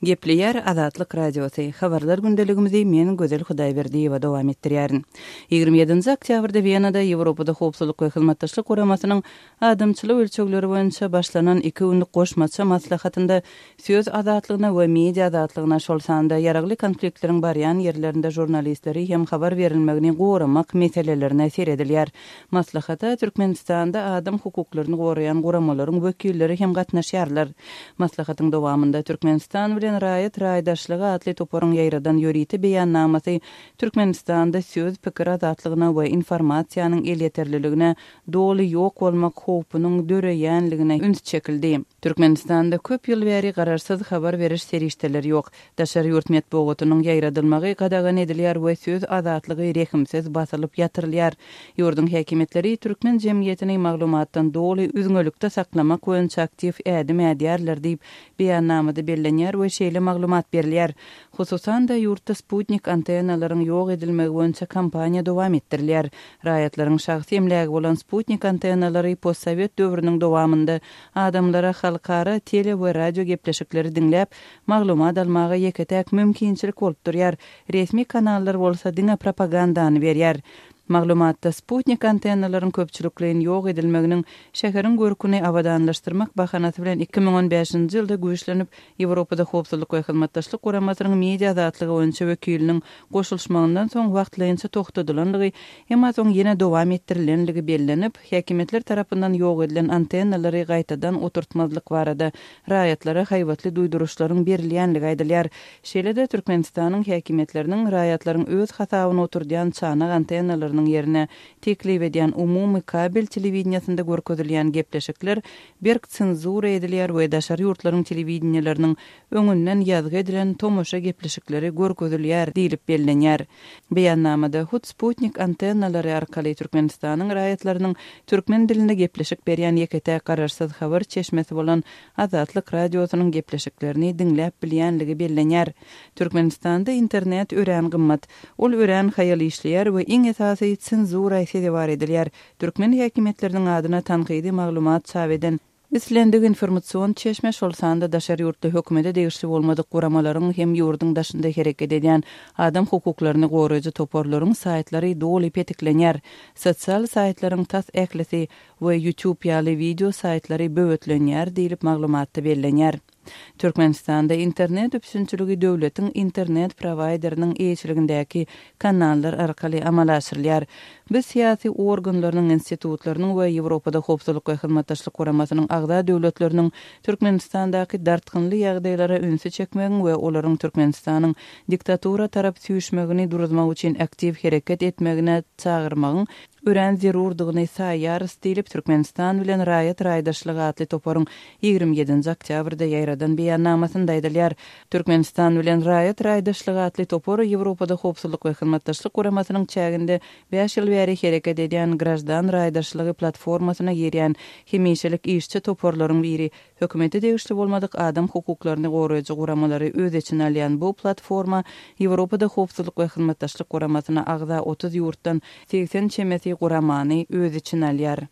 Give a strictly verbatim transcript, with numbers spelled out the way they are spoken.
Gepleýär Azatlyk Radiosy. Habarlar gündeligimizi men Gözel Hudaýberdiýewa dowam etdirýärin. Ýigrimi ýedinji oktýabrda Wenada Ýewropada Howpsuzlyk we Hyzmatdaşlyk Guramasynyň adamçylyk ölçegleri boýunça başlanan iki günlük goşmaça maslahatynda söz azatlygyna we media azatlygyna, şol sanda ýaragly konfliktleriň barýan ýerlerinde žurnalistleri hem habar berilmegini goramak meselelerine seredilýär. Maslahata Türkmenistanda adam hukuklaryny goraýan guramalaryň wekilleri hem gatnaşýarlar. Maslahatyň dowamynda Türkmenistan bilen raýat raýdaşlygy atly toparyň ýaýradan ýörite beýannamasy Türkmenistanda söz, pikir azatlygyna we informasiýanyň elýeterliligine doly ýok bolmak howpunyň döreýänligine üns çekildi. Türkmenistanda köp ýyl bäri garaşsyz habar beriş serişdeleri ýok. Daşary ýurt metbugatynyň ýaýradylmagy gadagan edilýär we söz azatlygy rehimsiz basylyp ýatyrylýar. Ýurduň häkimiýetleri türkmen jemgyýetini maglumatdan doly üzňelikde saklamak boýunça aktiw ädim ädýärler diýip, beýannamada bellenýär we şeýle maglumat berilýär. Hususan-da, ýurtda sputnik antennalaryň ýok edilmegi boýunça kampaniýa dowam etdirilýär. Raýatlaryň şahsy emlägi bolan sputnik antennalary postsowet döwrüniň dowamynda adamlara halkara tele we radio gepleşikleri diňläp, maglumat almaga ýeke-täk mümkinçilik bolup durýar. Resmi kanallar bolsa diňe propagandany berýär. Maglumatda sputnik antennalaryň köpçülikleýin ýok edilmeginiň şäheriň görküni abadanlaşdyrmak bahanasy bilen iki müň on bäşinji ýylda güýçlenip, Ýewropada Howpsuzlyk we Hyzmatdaşlyk Guramasynyň media azatlygy boýunça wekiliniň goşulyşmagyndan soň wagtlaýynça togtadylandygy, emma soň ýene dowam etdirilenligi bellenip, häkimiýetler tarapyndan ýok edilen antennalary gaýtadan oturtmazlyk barada raýatlara haýbatly duýduryşlaryň berilýänligi aýdylýar. Şeýle-de Türkmenistanyň häkimiýetleriniň raýatlaryň öz hasabyna oturdýan çanak antennalarynyň ýerine teklip edýän umumy kabel telewideniýesinde görkezilýän gepleşikler berk senzura edilýär we daşary ýurtlaryň telewideniýeleriniň öňünden ýazgy edilen tomaşa gepleşikleri görkezilýär diýlip bellenýär. Beýannamada hut sputnik antennalary arkaly Türkmenistanyň raýatlarynyň türkmen dilinde gepleşik berýän ýeke-täk garaşsyz habar çeşmesi bolan Azatlyk Radiosynyň gepleşiklerini diňläp bilýänligi bellenýär. Türkmenistanda internet örän gymmat. Ol örän haýal işleýär we iň esasy senzura sezewar edilýär. Türkmen häkimiýetleriniň adyna tankydy maglumat çap eden islendik informasion çeşme, şol sanda daşary ýurtly hökümete degişli bolmadyk guramalaryň hem ýurduň daşynda hereket edýän adam hukuklaryny goraýjy toparlaryň saýtlary doly petiklenýär. Sosial saýtlaryň tas ählisi we YouTube ýaly wideo saýtlary böwetlenýär diýlip maglumatda bellenýär. Türkmenistanda internet üpjünçiligi döwletiň internet prowaýderiniň eýeçiligindäki kanallar arkaly amala aşyrylýar. Biz syýasy organlarynyň, institutlarynyň we Ýewropada Howpsuzlyk we Hyzmatdaşlyk Guramasynyň agza döwletleriniň Türkmenistandaky dartgynly ýagdaýlara ünsi çekmegiň we olaryň Türkmenistanyň diktatura tarap süýşmegini duruzmak üçin aktiw hereket etmegine çagyrmagyň örän zerurdygyny saýýarys diýlip, Türkmenistan bilen raýat raýdaşlygy atly toparyň ýigrimi ýedinji oktýabrda ýaýradan beýannamasynda aýdylýar. Türkmenistan bilen raýat raýdaşlygy atly topar Ýewropada Howpsuzlyk we Hyzmatdaşlyk Guramasynyň çäginde bäş ýyl bäri hereket edýän graždan raýdaşlygy platformasyna girýän hemişelik işçi toparlaryň biri. Hökümete degişli bolmadyk adam hukuklaryny goraýjy guramalary öz içine alýan bu platforma Ýewropada Howpsuzlyk we Hyzmatdaşlyk Guramasyna agza otuz ýurtdan segsen çemesi guramany öz içine alýar.